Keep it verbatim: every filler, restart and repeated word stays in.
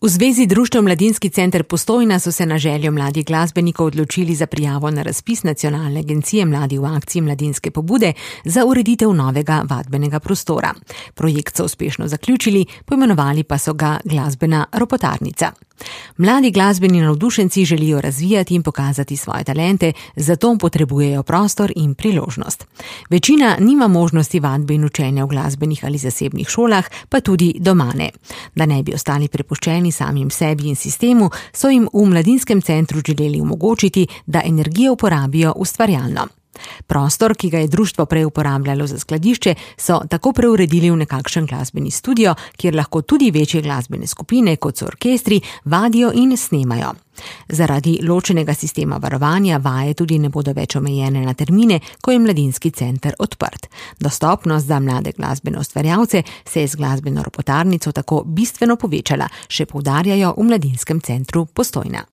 V Zvezi društev Mladinski center Postojna so se na željo mladih glasbenikov odločili za prijavo na razpis Nacionalne agencije Mladi v akciji Mladinske pobude za ureditev novega vadbenega prostora. Projekt so uspešno zaključili, poimenovali pa so ga Glasbena ropotarnica. Mladi glasbeni navdušenci želijo razvijati in pokazati svoje talente, zato potrebujejo prostor in priložnost. Večina nima možnosti vadbe in učenja v glasbenih ali zasebnih šolah, pa tudi doma ne. Da ne bi ostali prepuščeni samim sebi in sistemu, so jim v Mladinskem centru želeli omogočiti, da energijo uporabijo ustvarjalno. Prostor, ki ga je društvo prej uporabljalo za skladišče, so tako preuredili v nekakšen glasbeni studio, kjer lahko tudi večje glasbene skupine, kot so orkestri, vadijo in snemajo. Zaradi ločenega sistema varovanja vaje tudi ne bodo več omejene na termine, ko je Mladinski center odprt. Dostopnost za mlade glasbene ustvarjalce se je z glasbeno ropotarnico tako bistveno povečala, še poudarjajo v Mladinskem centru Postojna.